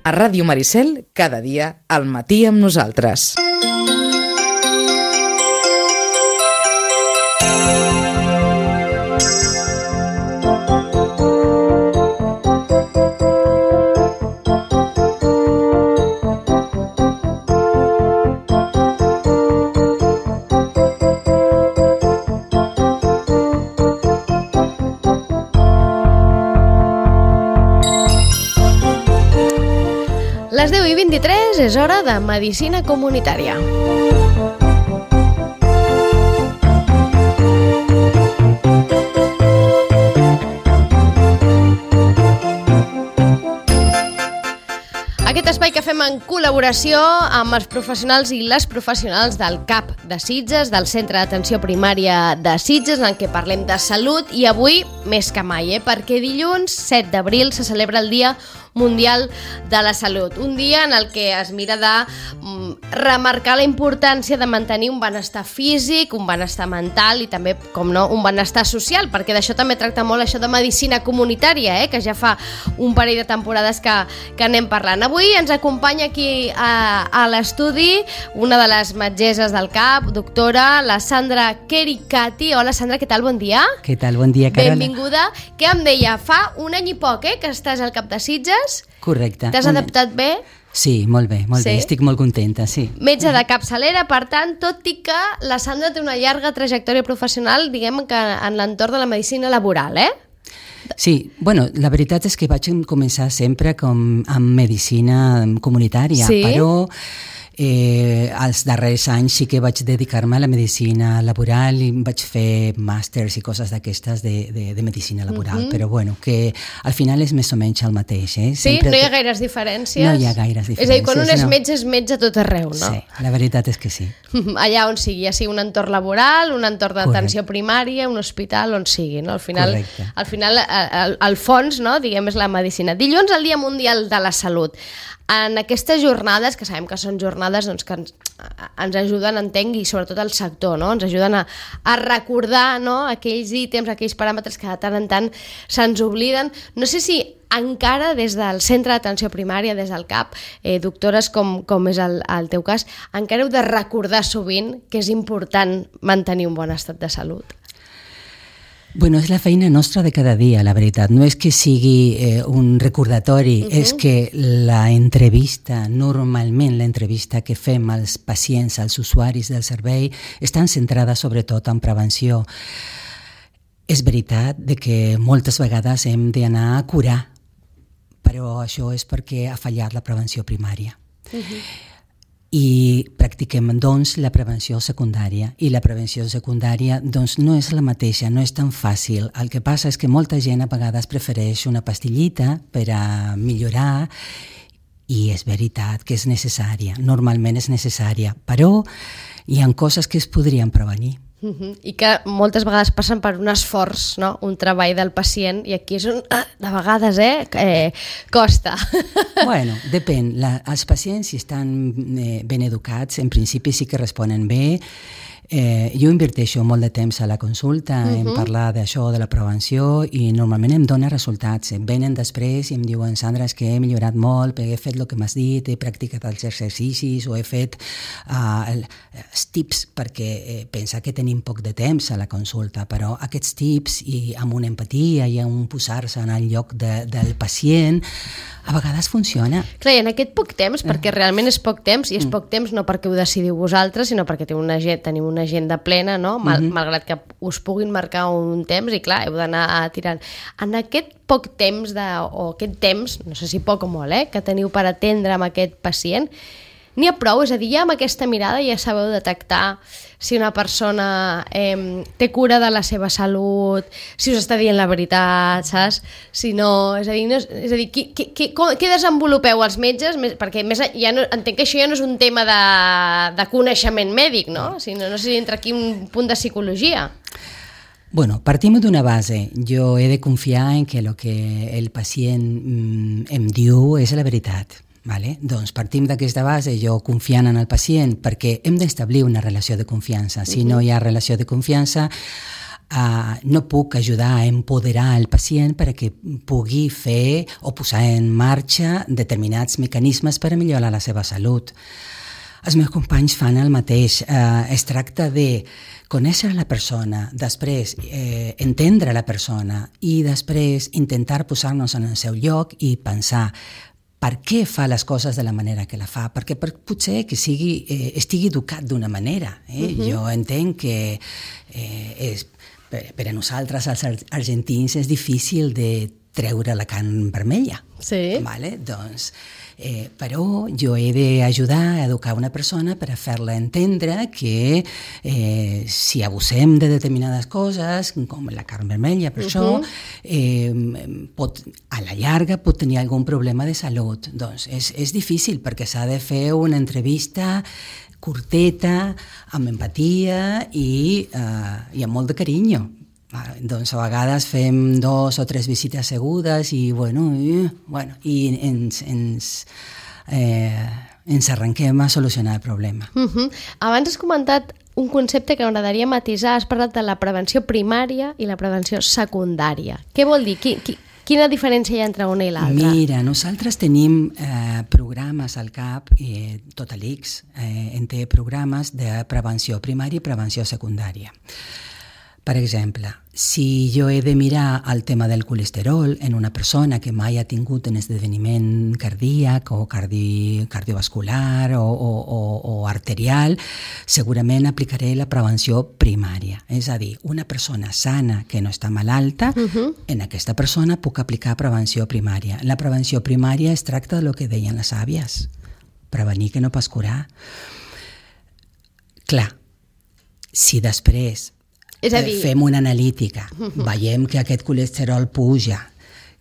A Ràdio Maricel, cada dia, al matí amb nosaltres. Les 10:23 és hora de Medicina Comunitària. Aquest espai que fem en col·laboració amb els professionals i les professionals del CAP de Sitges, del Centre d'Atenció Primària de Sitges, en què parlem de salut, i avui més que mai, perquè dilluns 7 d'abril se celebra el Dia Mundial de la Salut, un dia en el que es mira de remarcar la importància de mantenir un benestar físic, un benestar mental i també, com no, un benestar social, perquè d'això també tracta molt això de medicina comunitària, que ja fa un parell de temporades que anem parlant. Avui ens acompanya aquí a l'estudi una de les metgesses del CAP, doctora, la Sandra Kericati. Hola Sandra, què tal? Bon dia. Què tal? Bon dia, Carola. Benvinguda. Què em deia? Fa un any i poc que estàs al CAP de Sitges? Correcte. T'has adaptat bé? Sí, molt bé, molt bé. Estic molt contenta, sí. Metge de capçalera, per tant, tot i que la Sandra té una llarga trajectòria professional, diguem que en l'entorn de la medicina laboral, Sí, bueno, la veritat és que vaig començar sempre amb medicina comunitària, sí? Però els darrers anys sí que vaig dedicar-me a la medicina laboral i vaig fer màsters i coses d'aquestes de medicina laboral, però bueno, que al final és més o menys el mateix. Sí? Sempre no hi ha gaires diferències? No hi ha gaires diferències. És a dir, quan un és metge a tot arreu, no? Sí, la veritat és que sí. Allà on sigui, ja sigui un entorn laboral, un entorn d'atenció primària, un hospital, on sigui, no? Al final, el fons, no? Diguem, és la medicina. Dilluns, el Dia Mundial de la Salut. En aquestes jornades, que sabem que són jornades doncs, que ens ajuden, entenc, i sobretot el sector, no? Ens ajuden a recordar, no? Aquells ítems, aquells paràmetres que de tant en tant se'ns obliden. No sé si encara des del Centre d'Atenció Primària, des del CAP, doctores com és el teu cas, encara heu de recordar sovint que és important mantenir un bon estat de salut. Bueno, és la feina nostra de cada dia, la veritat. No és que sigui un recordatori, és que normalment l'entrevista que fem als pacients, als usuaris del servei, estan centrada sobretot en prevenció. És veritat que moltes vegades hem d'anar a curar, però això és perquè ha fallat la prevenció primària. I practiquem, doncs, la prevenció secundària. I la prevenció secundària, doncs, no és la mateixa, no és tan fàcil. El que passa és que molta gent a vegades prefereix una pastillita per a millorar, i és veritat que és necessària, normalment és necessària, però hi ha coses que es podrien prevenir. I que moltes vegades passen per un esforç, no? Un treball del pacient, i aquí és on, de vegades, costa. Bueno, depèn. Els pacients, si estan ben educats, en principi sí que responen bé. Jo inverteixo molt de temps a la consulta en parlar d'això, de la prevenció, i normalment em dona resultats. Venen després i em diuen: Sandra, és que he millorat molt, perquè he fet el que m'has dit, he practicat els exercicis o he fet els tips, perquè pensa que tenim poc de temps a la consulta, però aquests tips, i amb una empatia i amb un posar-se en el lloc del pacient, a vegades funciona. Clar, i en aquest poc temps, perquè realment és poc temps, i és poc temps no perquè ho decidiu vosaltres, sinó perquè teniu una agenda plena, no? Malgrat que us puguin marcar un temps, i clar, heu d'anar tirant. En aquest poc temps, o aquest temps, no sé si poc o molt, que teniu per atendre amb aquest pacient, n'hi ha prou? És a dir, ja amb aquesta mirada ja sabeu detectar si una persona té cura de la seva salut, si us està dient la veritat, saps? Si no, és a dir, què desenvolupeu els metges? Perquè entenc que això ja no és un tema de coneixement mèdic, no? No sé si entra aquí un punt de psicologia. Bueno, partim d'una base. Jo he de confiar en que el que el pacient em diu és la veritat. Vale? Doncs partim d'aquesta base, jo confiant en el pacient, perquè hem d'establir una relació de confiança. Si no hi ha relació de confiança, no puc ajudar a empoderar el pacient perquè pugui fer o posar en marxa determinats mecanismes per a millorar la seva salut. Els meus companys fan el mateix. Es tracta de conèixer la persona, després entendre la persona i després intentar posar-nos en el seu lloc i pensar per què fa les coses de la manera que la fa, perquè potser que estigui educat d'una manera. Jo entenc que per a nosaltres, els argentins, és difícil de treure la carn vermella. Sí. Vale? Doncs, però jo he d'ajudar a educar una persona per a fer-la entendre que si abusem de determinades coses, com la carn vermella, per això, a la llarga pot tenir algun problema de salut. Doncs és difícil perquè s'ha de fer una entrevista curteta, amb empatia i amb molt de carinyo. Doncs a vegades fem 2 o 3 visites segudes i ens arrenquem a solucionar el problema. Abans has comentat un concepte que m'agradaria matisar. Has parlat de la prevenció primària i la prevenció secundària. Què vol dir? Quina diferència hi ha entre una i l'altra? Mira, nosaltres tenim programes al CAP, tot l'ICS en té programes de prevenció primària i prevenció secundària. Per exemple, si jo he de mirar el tema del colesterol en una persona que mai ha tingut un esdeveniment cardíac o cardiovascular o arterial, segurament aplicaré la prevenció primària. És a dir, una persona sana que no està malalta, en aquesta persona puc aplicar prevenció primària. La prevenció primària es tracta del que deien les àvies, prevenir que no pas curar. Clar, si després fem una analítica, veiem que aquest colesterol puja,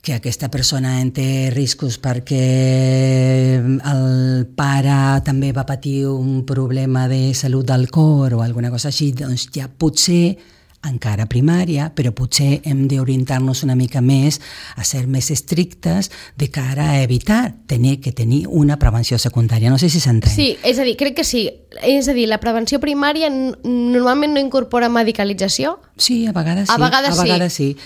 que aquesta persona en té riscos perquè el pare també va patir un problema de salut del cor o alguna cosa així, doncs ja potser encara primària, però potser hem d'orientar-nos una mica més a ser més estrictes de cara a evitar tenir una prevenció secundària. No sé si s'entén. Sí, és a dir, crec que sí. És a dir, la prevenció primària normalment no incorpora medicalització? Sí, a vegades sí. A vegades sí.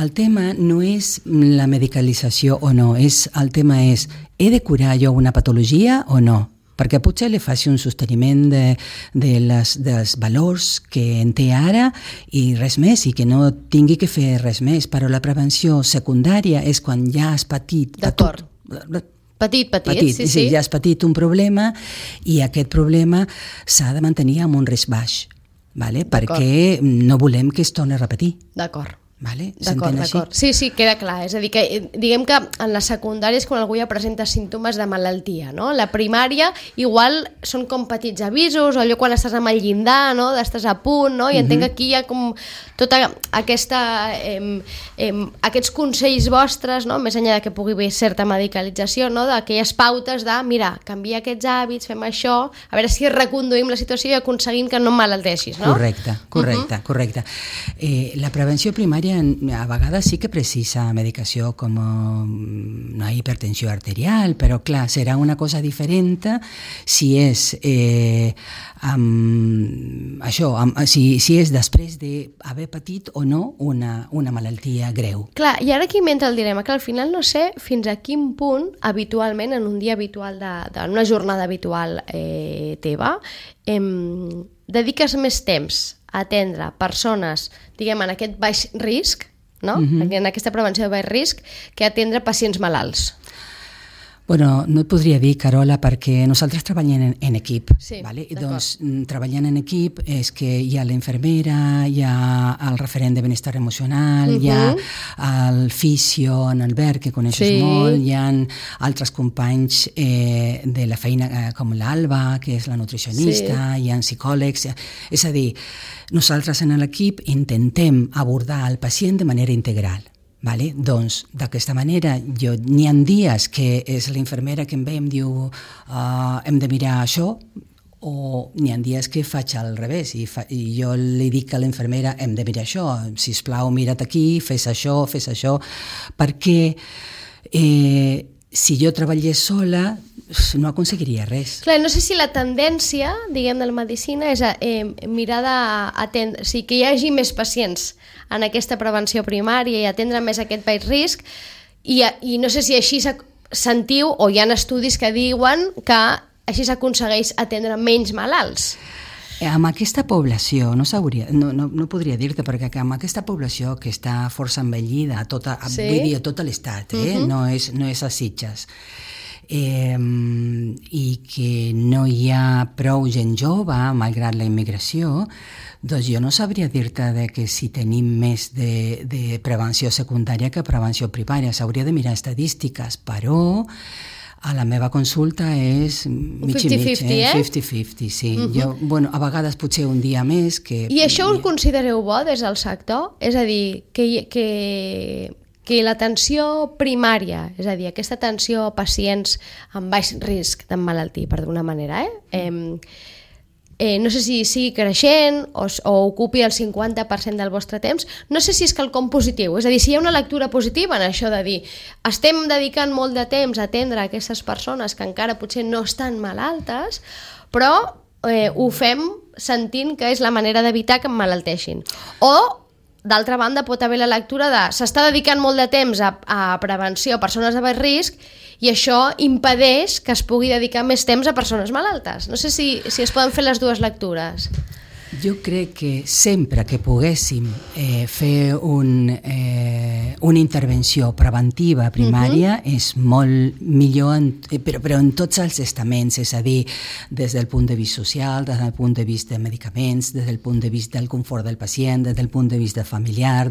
El tema no és la medicalització o no, el tema és, he de curar jo una patologia o no? Perquè potser li faci un sosteniment dels valors que en té ara i res més, i que no tingui que fer res més. Però la prevenció secundària és quan ja has patit... D'acord. Petit, sí. Ja has patit un problema i aquest problema s'ha de mantenir amb un risc baix, vale? Perquè no volem que es torni a repetir. D'acord. Vale? D'acord. Sí, queda clar. És a dir, que diguem que en la secundària és quan algú ja presenta símptomes de malaltia, no? La primària igual són com petits avisos, o allò quan estàs amb el llindar, no? Estàs a punt, no? I entenc que aquí hi ha com tota aquesta aquests consells vostres, no? Més enllà de que pugui haver certa medicalització, no? D'aquelles pautes de, mira, canvia aquests hàbits, fem això, a veure si reconduïm la situació i aconseguim que no emmalalteixis, no? Correcte. La prevenció primària a vegades sí que precisa medicació com una hipertensió arterial, però clar, serà una cosa diferent si és si és després d'haver patit o no una malaltia greu. Clar, i ara aquí m'entra el dilema, que al final no sé fins a quin punt habitualment, en un dia habitual en una jornada habitual teva, dediques més temps a atendre persones, diguem, en aquest baix risc, no? En aquesta prevenció de baix risc, que atendre pacients malalts. Bueno, no et podria dir, Carola, perquè nosaltres treballem en equip. Sí, vale? Doncs treballant en equip és que hi ha la infermera, hi ha el referent de benestar emocional, hi ha el fisio, en Albert, que coneixes molt, hi ha altres companys de la feina com l'Alba, que és la nutricionista, hi ha psicòlegs. És a dir, nosaltres en l'equip intentem abordar el pacient de manera integral. Vale? Doncs d'aquesta manera n'hi ha dies que és la infermera que em ve i em diu hem de mirar això, o n'hi ha dies que faig al revés i jo li dic a la infermera hem de mirar això, sisplau mira't aquí, fes això, perquè si jo treballés sola no aconseguiria res. Clar, no sé si la tendència, diguem, de la medicina és mirar d'atendre, o sigui, que hi hagi més pacients en aquesta prevenció primària i atendre més aquest baix risc, i no sé si així sentiu, o hi ha estudis que diuen que així s'aconsegueix atendre menys malalts. Amb aquesta població, no podria dir-te, perquè amb aquesta població que està força envellida, vull dir, a tot l'estat, no és a Sitges, i que no hi ha prou gent jove, malgrat la immigració, doncs jo no sabria dir-te que si tenim més de prevenció secundària que prevenció primària. S'hauria de mirar estadístiques, però a la meva consulta és mig i mig, 50-50, sí. Jo, a vegades potser un dia més que... I això ho considereu bo des del sector? És a dir, que l'atenció primària, és a dir, aquesta atenció a pacients amb baix risc d'emmalaltir, per d'una manera, no sé si sigui creixent o ocupi el 50% del vostre temps, no sé si és quelcom positiu, és a dir, si hi ha una lectura positiva en això de dir estem dedicant molt de temps a atendre aquestes persones que encara potser no estan malaltes, però ho fem sentint que és la manera d'evitar que emmalalteixin. O, d'altra banda, pot haver la lectura de s'està dedicant molt de temps a prevenció a persones de baix risc i això impedeix que es pugui dedicar més temps a persones malaltes. No sé si es poden fer les dues lectures. Jo crec que sempre que poguéssim fer una intervenció preventiva primària és molt millor, però en tots els estaments, és a dir, des del punt de vista social, des del punt de vista de medicaments, des del punt de vista del confort del pacient, des del punt de vista familiar,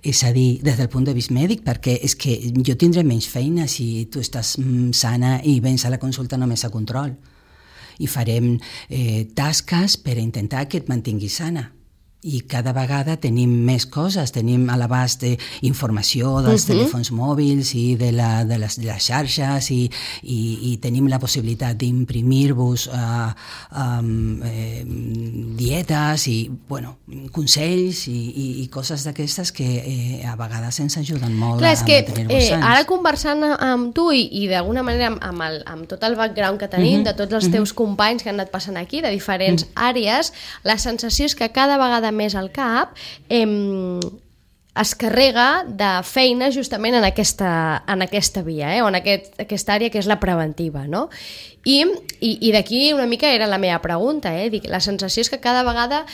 és a dir, des del punt de vista mèdic, perquè és que jo tindré menys feina si tu estàs sana i vens a la consulta només a control. I farem tasques per intentar que et mantinguis sana. I cada vegada tenim més coses, tenim a l'abast informació dels telèfons mòbils i de les xarxes i tenim la possibilitat d'imprimir-vos dietes i consells i coses d'aquestes que a vegades ens ajuden molt a mantenir-vos sants. Ara conversant amb tu i d'alguna manera amb tot el background que tenim, de tots els teus companys que han anat passant aquí, de diferents àrees, la sensació és que cada vegada més al cap es carrega de feina justament en aquesta via, o en aquesta àrea que és la preventiva, no? I d'aquí una mica era la meva pregunta, Dic, la sensació és que cada vegada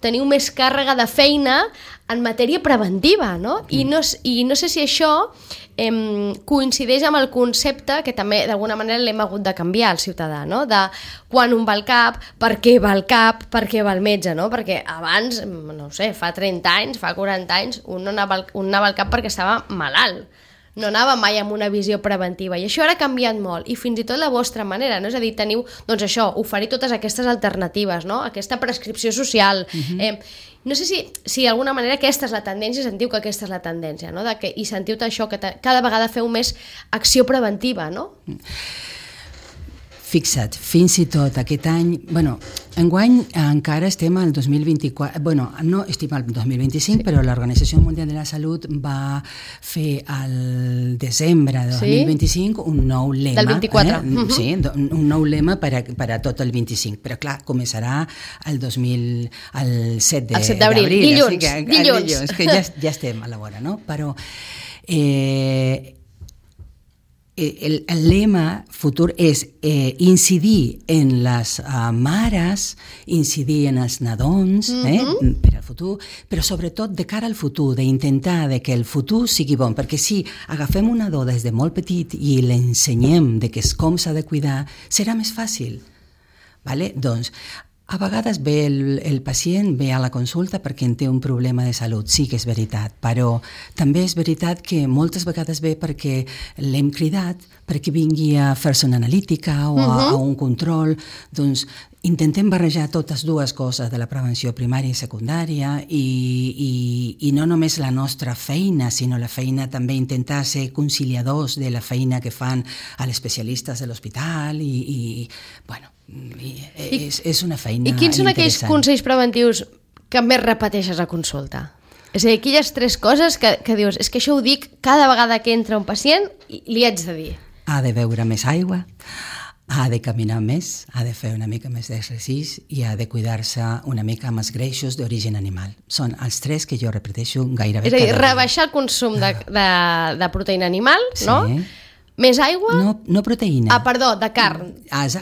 teniu més càrrega de feina en matèria preventiva, no? I no sé si això coincideix amb el concepte que també d'alguna manera l'hem hagut de canviar al ciutadà, no? De quan un va al CAP, per què va al CAP, per què va al metge, no? Perquè abans, no sé, fa 30 anys, fa 40 anys, un anava al CAP perquè estava malalt. No anava mai amb una visió preventiva i això ara ha canviat molt i fins i tot la vostra manera, no? És a dir, teniu, doncs això, oferir totes aquestes alternatives, no? Aquesta prescripció social. No sé si d'alguna manera aquesta és la tendència, sentiu que aquesta és la tendència, no? I sentiu això, que cada vegada feu més acció preventiva, no? Fixa't, fins i tot aquest any, enguany encara estem al 2024, no estem al 2025, però l'Organització Mundial de la Salut va fer al desembre de 2025 un nou lema. Del 24. Sí, un nou lema per a tot el 25, però clar, començarà el 7 d'abril. Dilluns, que ja estem a la vora, no? Però el lema futur és incidir en les mares, incidir en els nadons per al futur, però sobretot de cara al futur, d'intentar que el futur sigui bon, perquè si agafem un nadó des de molt petit i l'ensenyem com s'ha de cuidar, serà més fàcil. Doncs a vegades el pacient ve a la consulta perquè en té un problema de salut, sí que és veritat, però també és veritat que moltes vegades ve perquè l'hem cridat perquè vingui a fer-se una analítica o a un control. Doncs intentem barrejar totes dues coses de la prevenció primària i secundària i no només la nostra feina, sinó la feina també intentar ser conciliadors de la feina que fan els especialistes de l'hospital és una feina interessant. I quins són aquells consells preventius que més repeteixes a consulta? És a dir, aquelles 3 coses que dius, és que això ho dic cada vegada que entra un pacient i li haig de dir. Ha de beure més aigua, ha de caminar més, ha de fer una mica més d'exercici i ha de cuidar-se una mica amb els greixos d'origen animal. Són els 3 que jo repeteixo gairebé és a dir, cada dia. rebaixar el consum de proteïna animal, no? Sí. Més aigua? No proteïna. Perdó, de carn.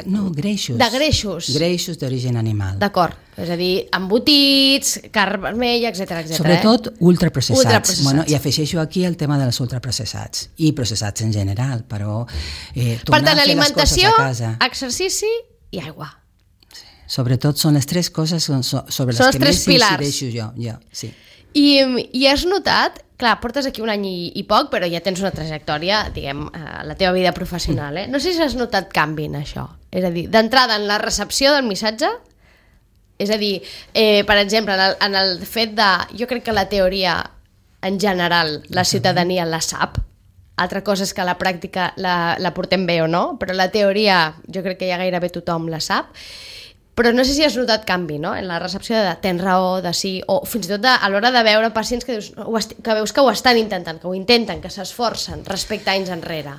No, greixos. De greixos. Greixos d'origen animal. D'acord. És a dir, embotits, carn vermella, etc. Sobretot ultraprocessats. Ultraprocessats. Bueno, i afegeixo aquí el tema dels ultraprocessats i processats en general, però per tant, alimentació, exercici i aigua. Sobretot són les 3 coses sobre les que més incideixo jo. Sí. I has notat, clar, portes aquí un any i poc, però ja tens una trajectòria, diguem, a la teva vida professional, No sé si has notat canvi en això. És a dir, d'entrada en la recepció del missatge, és a dir, per exemple, en el fet de... Jo crec que la teoria, en general, la ciutadania la sap. Altra cosa és que la pràctica la portem bé o no, però la teoria jo crec que ja gairebé tothom la sap. Però no sé si has notat canvi, no?, en la recepció de tens raó, de sí, o fins i tot a l'hora de veure pacients que veus que ho estan intentant, que ho intenten, que s'esforcen respecte a anys enrere.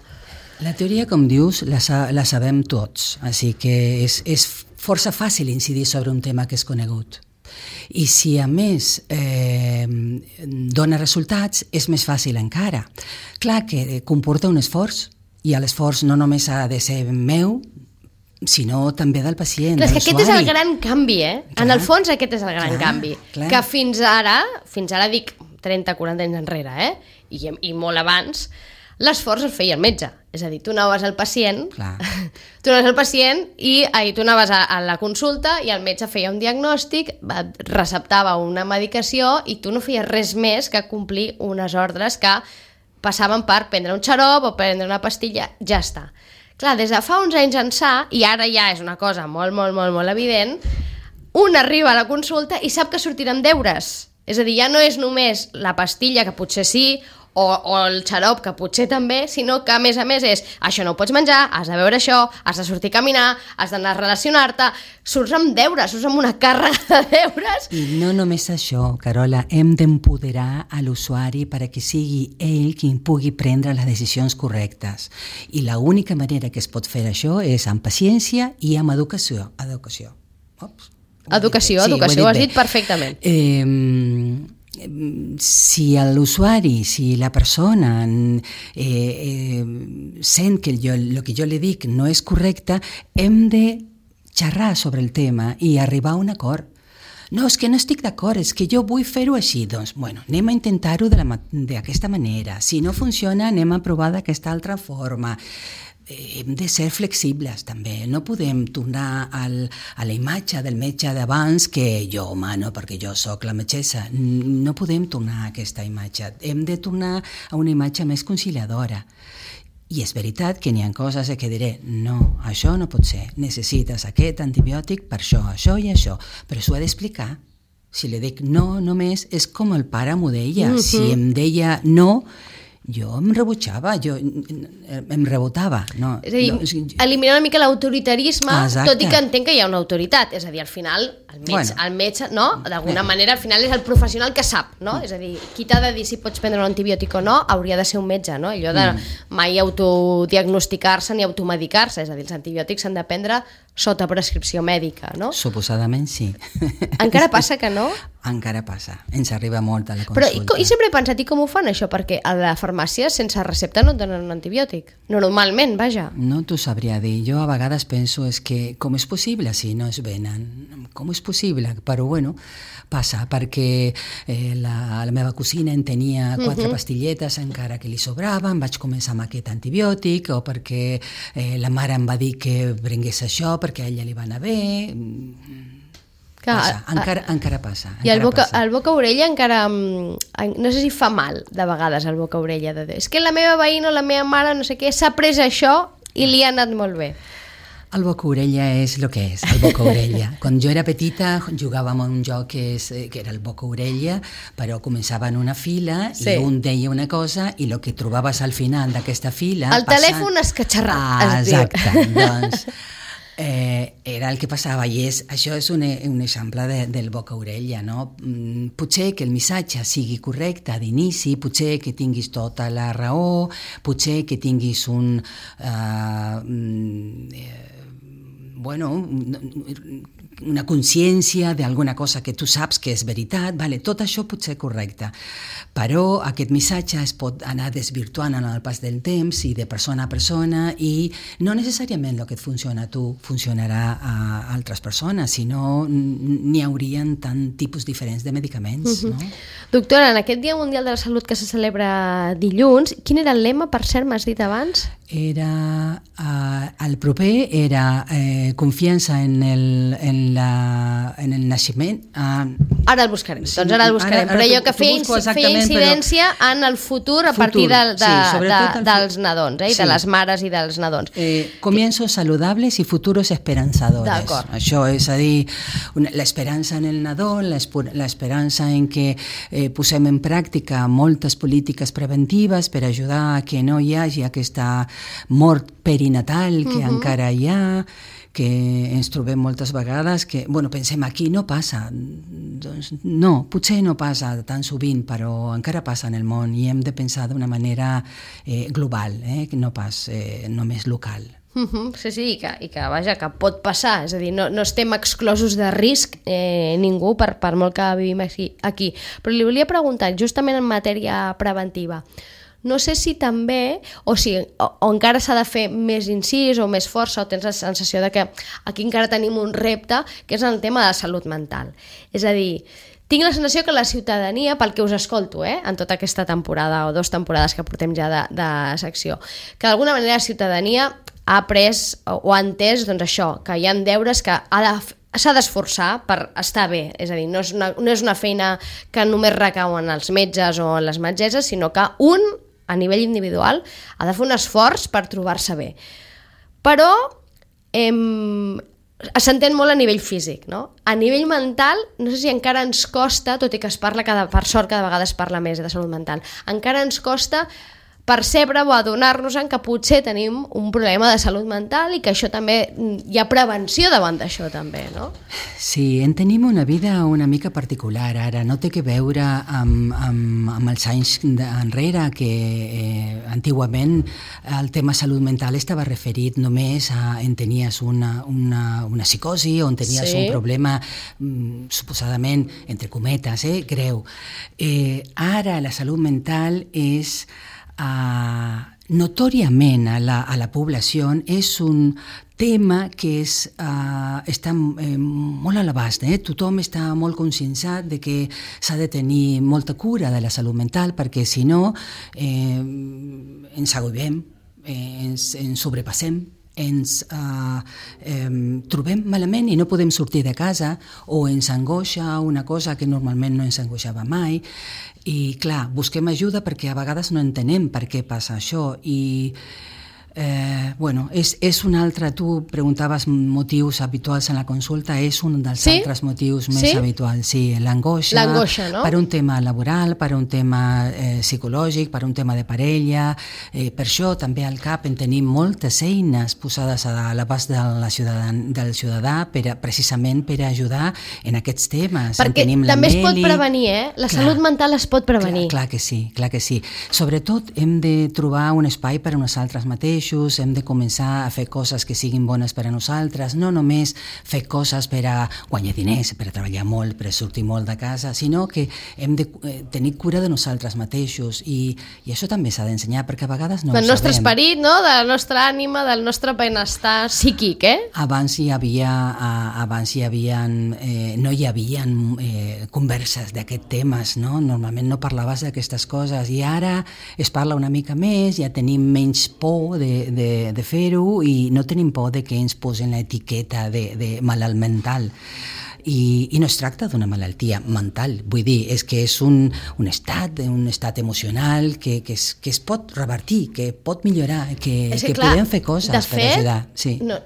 La teoria, com dius, la sabem tots, així que és força fàcil incidir sobre un tema que és conegut. I si a més dona resultats, és més fàcil encara. Clar que comporta un esforç, i l'esforç no només ha de ser meu, sinó també del pacient, clar, de l'usuari. Aquest és el gran canvi, Clar. En el fons aquest és el gran canvi. Clar. Que fins ara dic 30-40 anys enrere, i molt abans, l'esforç el feia el metge. És a dir, tu anaves al pacient, tu anaves a la consulta i el metge feia un diagnòstic, receptava una medicació i tu no feies res més que complir unes ordres que passaven per prendre un xarop o prendre una pastilla, ja està. Clar, des de fa uns anys ençà, i ara ja és una cosa molt, molt, molt, molt evident, un arriba a la consulta i sap que sortiran deures. És a dir, ja no és només la pastilla, que potser sí, o el xarop, que potser també, sinó que a més és això no ho pots menjar, has de veure això, has de sortir a caminar, has d'anar a relacionar-te, surts amb deures, surts amb una càrrega de deures. I no només això, Carola, hem d'empoderar a l'usuari perquè sigui ell qui pugui prendre les decisions correctes. I l'única manera que es pot fer això és amb paciència i amb educació. Educació, ho has dit perfectament. Si l'usuari, si la persona sent que el que jo li dic no és correcte, hem de xerrar sobre el tema i arribar a un acord. No, és que no estic d'acord, és que jo vull fer-ho així. Doncs, bueno, anem a intentar-ho d'aquesta manera. Si no funciona, anem a provar d'aquesta altra forma. Hem de ser flexibles també, no podem tornar a la imatge del metge d'abans que jo mano perquè jo sóc la metgessa, no podem tornar a aquesta imatge, hem de tornar a una imatge més conciliadora. I és veritat que n'hi ha coses que diré, no, això no pot ser, necessites aquest antibiòtic per això i això, però s'ho ha d'explicar. Si li dic no només, és com el pare m'ho deia, si em deia no, jo em rebutjava, em rebotava. No, és a dir, eliminar una mica l'autoritarisme, tot i que entenc que hi ha una autoritat. És a dir, al final, el metge, no? D'alguna manera, al final és el professional que sap, no? És a dir, qui t'ha de dir si pots prendre un antibiòtic o no, hauria de ser un metge, no? Allò de mai autodiagnosticar-se ni automedicar-se, és a dir, els antibiòtics s'han de prendre sota prescripció mèdica, no? Suposadament sí. Encara passa que no? Encara passa, ens arriba molt a la consulta. Però i sempre he pensat, i com ho fan això? Perquè a la farmàcia sense recepta no et donen un antibiòtic. Normalment, vaja. No t'ho sabria dir. Jo a vegades penso és que com és possible si no es venen? Com és possible? Però bueno, passa perquè la meva cosina en tenia 4 pastilletes encara que li sobraven, vaig començar amb aquest antibiòtic, o perquè la mare em va dir que prengués això perquè a ella li va anar bé. Passa, encara passa. I el boca-orella encara... No sé si fa mal, de vegades, el boca-orella. És que la meva veïna o la meva mare, no sé què, s'ha pres això i li ha anat molt bé. El boca-orella és el que és, el boca-orella. Quan jo era petita jugàvem a un joc que era el boca-orella, però començava en una fila i un deia una cosa i el que trobaves al final d'aquesta fila... El telèfon escatxarrat, es diu. Exacte, doncs... era el que passava i això és un exemple del boca-orella, no? Potser que el missatge sigui correcte d'inici, potser que tinguis tota la raó, potser que tinguis bueno, una consciència d'alguna cosa que tu saps que és veritat, vale, tot això pot ser correcte, però aquest missatge es pot anar desvirtuant en el pas del temps i de persona a persona, i no necessàriament el que et funciona a tu funcionarà a altres persones, sinó n'hi haurien tant tipus diferents de medicaments. No? Doctora, en aquest Dia Mundial de la Salut que se celebra dilluns, quin era el lema, per cert, m'has dit abans? Era, el proper era confiança en el naixement. Ara el buscarem, doncs ara el buscarem, però jo que feia incidència en el futur a partir dels nadons, i de les mares i dels nadons. Comienzos saludables i futuros esperanzadores. Això és a dir, l'esperança en el nadó, l'esperança en que posem en pràctica moltes polítiques preventives per ajudar a que no hi hagi aquesta mort perinatal que encara hi ha, que ens trobem moltes vegades que, pensem aquí no passa, doncs no, potser no passa tan sovint, però encara passa en el món i hem de pensar d'una manera global, no pas només local. Sí, i que vaja, que pot passar, és a dir, no estem exclosos de risc ningú per molt que vivim aquí. Però li volia preguntar, justament en matèria preventiva, no sé si també, o encara s'ha de fer més incís o més força, o tens la sensació de que aquí encara tenim un repte, que és el tema de la salut mental. És a dir, tinc la sensació que la ciutadania, pel que us escolto, en tota aquesta temporada o 2 temporades que portem ja de secció, que d'alguna manera la ciutadania ha après o ha entès doncs això, que hi ha deures que s'ha d'esforçar per estar bé, és a dir, no és una feina que només recau en els metges o en les metgesses, sinó que a nivell individual, ha de fer un esforç per trobar-se bé. Però s'entén molt a nivell físic, no? A nivell mental, no sé si encara ens costa, tot i que es parla, per sort cada vegada es parla més de salut mental, encara ens costa percebre o adonar-nos que potser tenim un problema de salut mental i que això també, hi ha prevenció davant d'això també, no? Sí, en tenim una vida una mica particular ara, no té que veure amb els anys enrere, que antigament el tema salut mental estava referit només a en tenies una psicosi o en tenies un problema suposadament, entre cometes, greu. Ara la salut mental és notòriament a la població, és un tema que està molt a l'abast. Tothom està molt conscienciat de que s'ha de tenir molta cura de la salut mental, perquè si no ens agobiem, ens sobrepassem, ens trobem malament i no podem sortir de casa, o ens angoixa una cosa que normalment no ens angoixava mai, i clar, busquem ajuda perquè a vegades no entenem per què passa això, i és un altre, tu preguntaves motius habituals en la consulta, és un dels altres motius més habituals, l'angoixa, no? Per un tema laboral, per un tema psicològic, per un tema de parella, per això també al CAP en tenim moltes eines posades a l'abast del ciutadà precisament per ajudar en aquests temes. Perquè també es pot prevenir, la salut mental es pot prevenir. Clar que sí. Sobretot hem de trobar un espai per a nosaltres mateixos, hem de començar a fer coses que siguin bones per a nosaltres, no només fer coses per a guanyar diners, per a treballar molt, per a sortir molt de casa, sinó que hem de tenir cura de nosaltres mateixos, i això també s'ha d'ensenyar, perquè a vegades no ho sabem. Del nostre esperit, no? De la nostra ànima, del nostre benestar psíquic, Abans no hi havia converses d'aquests temes, no? Normalment no parlaves d'aquestes coses, i ara es parla una mica més, ja tenim menys por de fer-ho, i no tenim por de que ens posen l'etiqueta de malalt mental. I no es tracta d'una malaltia mental, vull dir, és que és un estat emocional que es pot revertir, que pot millorar, que podem fer coses per ajudar.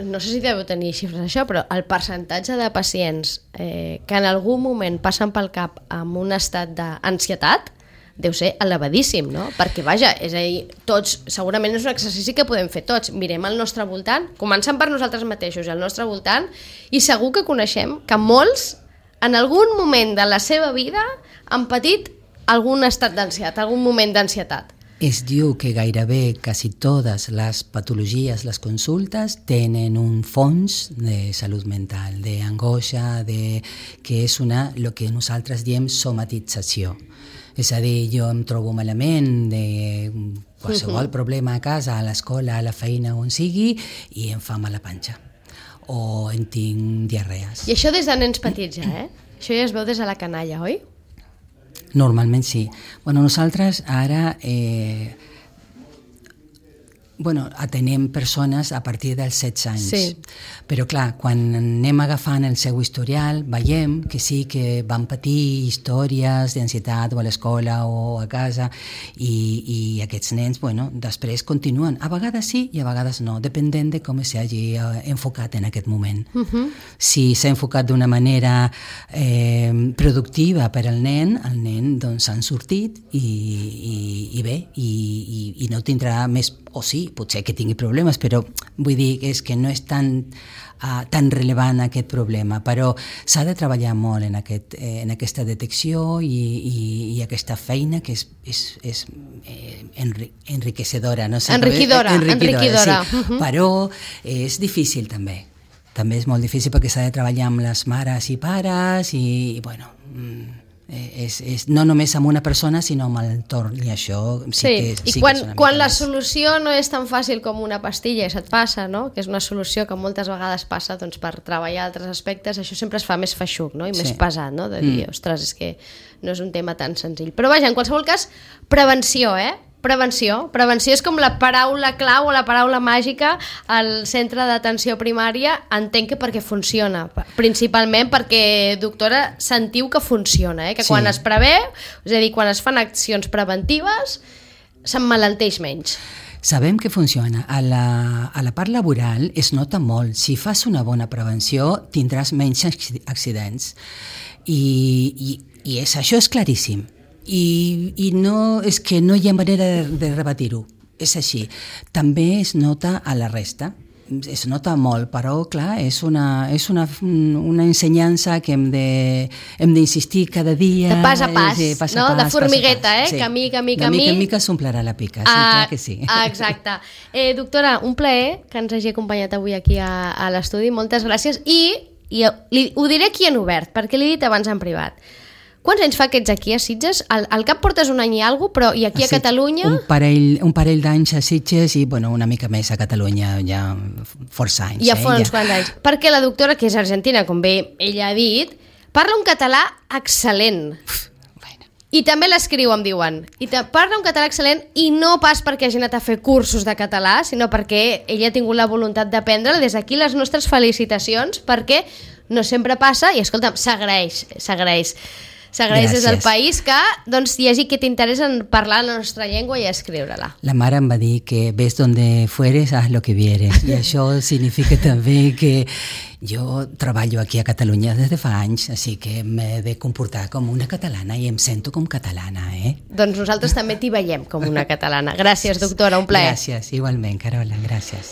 No sé si deu tenir xifres això, però el percentatge de pacients que en algun moment passen pel cap amb un estat d'ansietat deu ser elevadíssim, no? Perquè, vaja, és a dir, tots, segurament és un exercici que podem fer tots. Mirem al nostre voltant, començant per nosaltres mateixos i al nostre voltant, i segur que coneixem que molts, en algun moment de la seva vida, han patit algun estat d'ansietat, algun moment d'ansietat. Es diu que gairebé quasi totes les patologies, les consultes, tenen un fons de salut mental, d'angoixa, que és el que nosaltres diem somatització. És a dir, jo em trobo malament de qualsevol problema a casa, a l'escola, a la feina, on sigui, i em fa mala panxa. O en tinc diarrees. I això des de nens petits ja, eh? Això ja es veu des de la canalla, oi? Normalment sí. Bueno, nosaltres ara atenem persones a partir dels 16 anys. Sí. Però clar, quan anem agafant el seu historial, veiem que sí que van patir històries d'ansietat o a l'escola o a casa i aquests nens, després continuen. A vegades sí i a vegades no, depenent de com s'hagi enfocat en aquest moment. Si s'ha enfocat d'una manera productiva per al nen doncs s'han sortit i bé, i no tindrà més, o sí, potser que tingui problemes, però vull dir que és que no és tan rellevant aquest problema, però s'ha de treballar molt en aquesta detecció i aquesta feina que és enriquecedora. No sé, enriquidora. Sí. Però és difícil també. També és molt difícil perquè s'ha de treballar amb les mares i pares i és no només amb una persona sinó amb l'entorn, i això sí que quan la solució no és tan fàcil com una pastilla i se't passa, no? Que és una solució que moltes vegades passa per treballar altres aspectes, això sempre es fa més feixuc, no? I més pesat, no? De dir, ostres, és que no és un tema tan senzill. Però vaja, en qualsevol cas, prevenció, Prevenció és com la paraula clau o la paraula màgica al centre d'atenció primària. Entenc que perquè funciona, principalment perquè, doctora, sentiu que funciona, que quan es preveu, és a dir, quan es fan accions preventives, s'emmalalteix menys. Sabem que funciona. A la part laboral es nota molt. Si fas una bona prevenció, tindràs menys accidents. I això és claríssim. I no, és que no hi ha manera de rebatir-ho, és així. També es nota a la resta, es nota molt, però clar, és una ensenyança que hem d'insistir cada dia. De pas a pas, no? De formigueta, sí. Camí. De mica en mica s'omplirà la pica, sí, clar que sí. Exacte. Doctora, un plaer que ens hagi acompanyat avui aquí a l'estudi, moltes gràcies, i ho diré aquí en obert, perquè l'he dit abans en privat. Quants anys fa que ets aquí a Sitges? Al cap portes un any i alguna cosa, però i aquí a Catalunya? Un parell d'anys a Sitges i una mica més a Catalunya, ja força anys. Ja fa uns quants anys. Perquè la doctora, que és argentina, com bé ella ha dit, parla un català excel·lent. I també l'escriu, em diuen. I parla un català excel·lent i no pas perquè hagi anat a fer cursos de català, sinó perquè ella ha tingut la voluntat d'aprendre. Des d'aquí les nostres felicitacions, perquè no sempre passa i, escolta'm, s'agraeix. S'agraeix des del país que hi hagi aquest interès en parlar la nostra llengua i escriure-la. La mare em va dir que ves donde fueres, haz lo que vieres. I això significa també que jo treballo aquí a Catalunya des de fa anys, així que m'he de comportar com una catalana i em sento com catalana, Doncs nosaltres també t'hi veiem com una catalana. Gràcies, doctora, un plaer. Gràcies, igualment, Carola, gràcies.